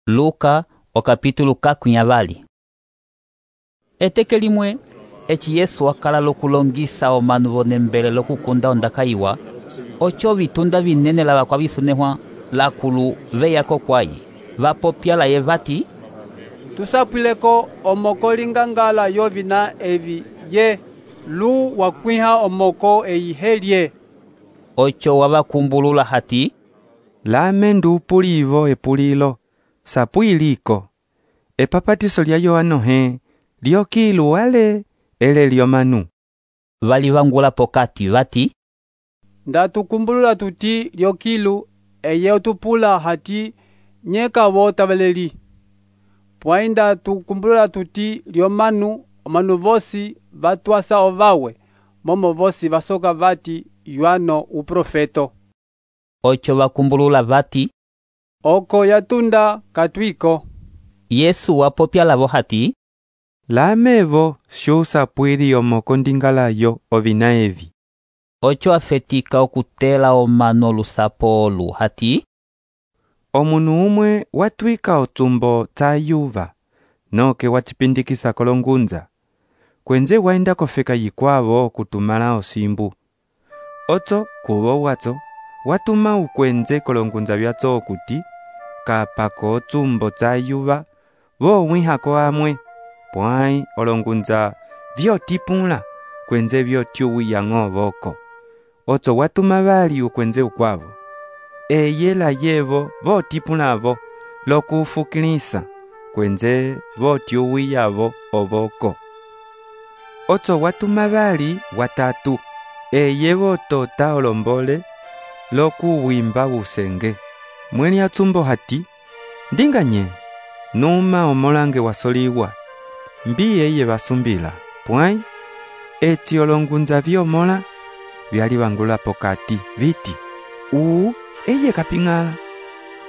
Luka okapítulo 20. Eteke limwe eci Yesu akala lokulongisa omanu vonembele lokukunda ondaka iwa, ocho vitunda vinene lava kwavisonehwa lakulu veyako kwaye, vapopya laye vati, tusapwileko omoko lingangala yovina evi ye lu wakwiha omoko eyihelye. Ocho wavakumbulula hati, lame ndupulivo epulilo sapwiliko epapatiso lya Yohano he lyokilu wale ele lyomanu. Valivangula pokati vati, ndatukumbulula tuti lyokilu eye utupula hati nyeka vota valeli. Pwai ndatukumbulula tuti lyomanu omanu vosi vatwasa ovawe, momo vosi vasoka vati Yohano uprofeto. Ocho vakumbulula vati, oko yatunda katwiko. Yesu wapopya lavo hati, lamevo shusapwili omoko ndingalayo ovina evi. Ocho afetika okutela omano olusapo olu hati, omunu umwe watwika otsumbo tsa yuva noke wachipindikisa kolongunza kwenze waenda kofeka yikwavo kutumala osimbu. Otso kuvo watso watuma ukwenze kolongunza vyatso okuti kapako otsumbo tsa yuva vowihako amwe, pwai olongunza vyotipula kwenze vyotyuwiya ng'ovoko. Otso watuma vali ukwenze ukwavo eyela yevo votipulavo lokufukilisa kwenze votyuwiyavo ovoko. Otso watuma vali watatu eye votota olombole lokuwimba usenge. Mweli atsumbo hati, ndinganye numa omolange wasoliwa mbi eye vasumbila, pwai eti olongunza vyomola vyalivangula pokati viti, eye kapingala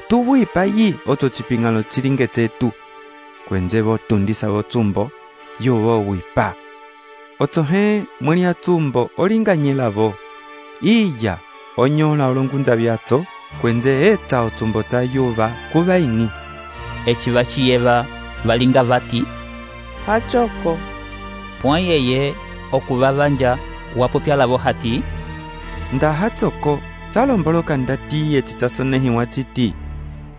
tuwipa yi otso chipingalo chilinge tsetu kwenze votundisa votsumbo yovo wipa. Otso he mweli atsumbo olinganyelavo iya onyola olongunza vyatso kwenze etsa otsumbo tsa yuva kuvaini. eci vaciyeva valinga vati, hachoko. pwai eye okuvavanja wapopya lavo hati, nda hatsoko tsalomboloka ndatiye titsasonehiwa chiti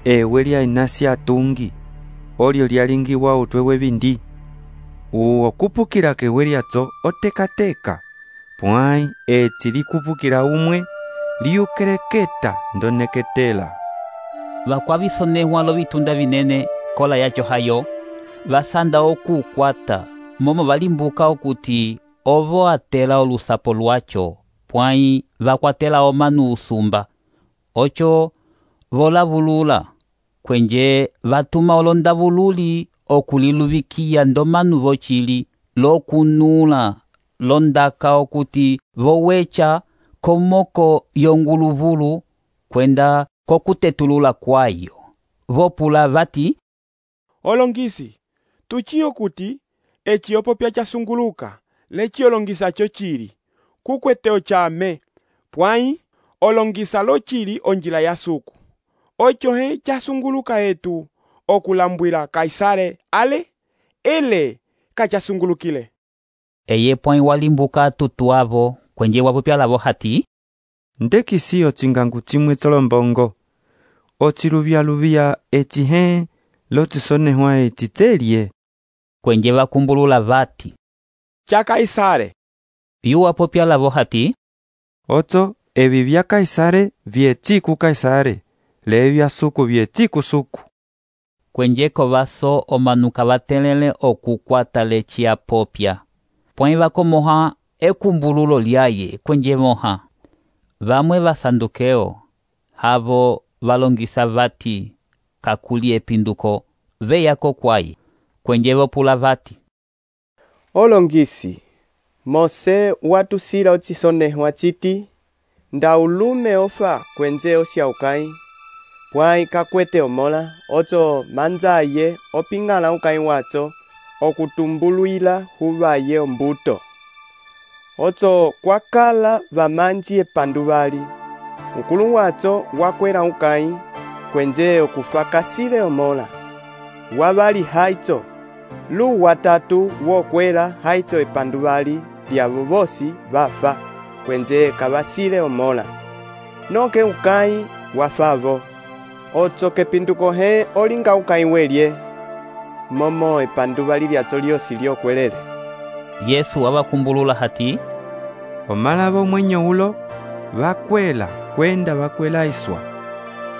ewe lya inasi atungi olyo lyalingiwa utwe wevindi okupukila kewe lyatso otekateka, pwai etsi likupukila umwe liyukeleketa ndoneketela. vakwavisonehwa lovitunda vinene kola yacho hayo, vasanda okukwata momo valimbuka okuti ovo atela olusapo lwacho, pwai vakwatela omanu usumba. Ocho volavulula kwenje vatuma olondavululi okuliluvikiya ndomanu vochili lokunula londaka okuti vowecha komoko yonguluvulu kwenda kokutetulula kwayo. Vopula vati, olongisi tuchiyo kuti eci opopya chasunguluka leci olongisa cho chili kukweteo chame, pwai olongisa lo chili onjila ya suku. Ocho he chasunguluka etu okulambwila Kaisare ale ele kachasungulukile. Eye pwai walimbuka tutu avo kwenje wapopya lavo hati, ndekisi ochingangu chimwe tsolombongo ochiluvya eci he lotisonehwa eci tselye. kwenje vakumbulula vati, cha Kaisare. yu wapopya lavo hati, otso evi vya Kaisare vyeci ku Kaisare, levya suku vyeci ku suku. kwenje kovaso omanu kavatelele okukwata leci apopya, pwai vakomoha ekumbululo lyaye kwenje moha. Vamwe vasandukeo havo valongisa vati kakuli epinduko veyako kwaye, kwenje vopula vati, olongisi Mose watusila ochisonehwa chiti nda ulume ofa kwenze osyaukai, pwai kakwete omola otso manzaye opingala ukai watso okutumbuluila huvaye ombuto. Otso kwakala vamanji epanduvali ukulu watso wakwela ukai kwenze okufakasile omola wavali haitso, lu watatu wokwela haitso epanduvali lyavo vosi vafa, kwenze kavasile omola. Noke ukai wafavo, otso kepinduko he olinga ukai welye, momo epanduvali lyatso lyosi lyokwelele. Yesu wabakumbulula hati, omala bomwenyo ulo vakwela kwenda vakwela iswa,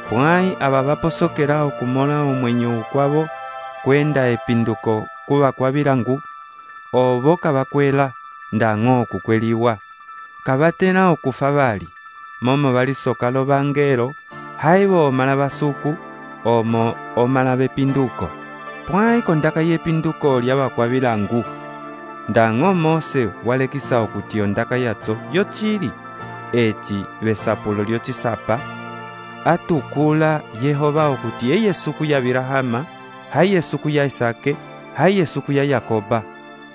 pwai aba baposokela okumola omwenyo ukwabo kwenda epinduko kuba kwa bilangu, obo kabakwela ndang'o okukweliwa, kabatena okufa bali, momo balisoka lo bangelo, haibo omala basuku, omo omala bepinduko, pwai kondaka yepinduko lyaba kwa bilangu, ndang'o Mose walekisa okuti ondaka yatso yochili, eti besapulo lyochisapa, atukula Yehova okuti eye suku ya Birahama, haye suku ya Isake, haye suku ya Yakoba,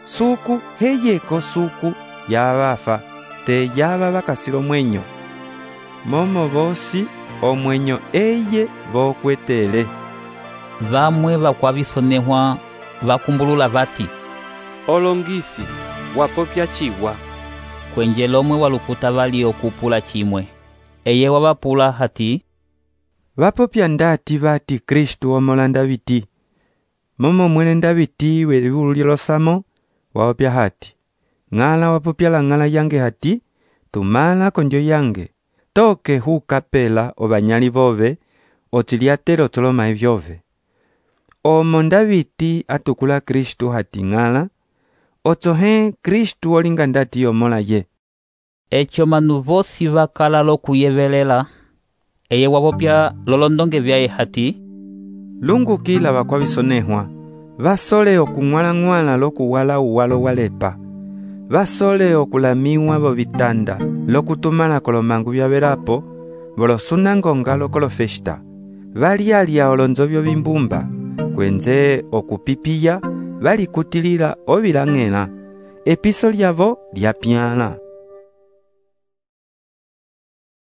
suku heyeko suku ya bafa, te yaba bakasilo mwenyo. Momo bosi omwenyo eye bokwetele. Vamwe bakwabisonehwa bakumbulula bati, olongisi wapopya chiwa. kwenje lomwe walukuta bali okupula chimwe. Eye wabapula hati, Bapopya ndati bati Kristu omola Ndaviti. Momo mwene Ndaviti welivulu lyolosamo, wapopya hati, ng'ala wapopya la ng'ala yange hati, tumala konjo yange, toke hukapela obanyali bove, otiliatelo toloma evyove. Omo Ndaviti atukula Kristu hati ng'ala, otsohe Kristu olinga ndati omola ye. echo manu vosi bakala lokuyevelela. Eye wabopya lolondonge byaye hati, Lungukila bakwabisonehwa, basole okung'wala-ng'wala lokuwala uwalo walepa, basole okulamiwa bobitanda lokutumala kolomangu byabelapo, bolosunangonga lokolofesta, balialya olonzobyo bimbumba, kwenze okupipiya balikutilila obilang'ela, episo lyabo lyapyala.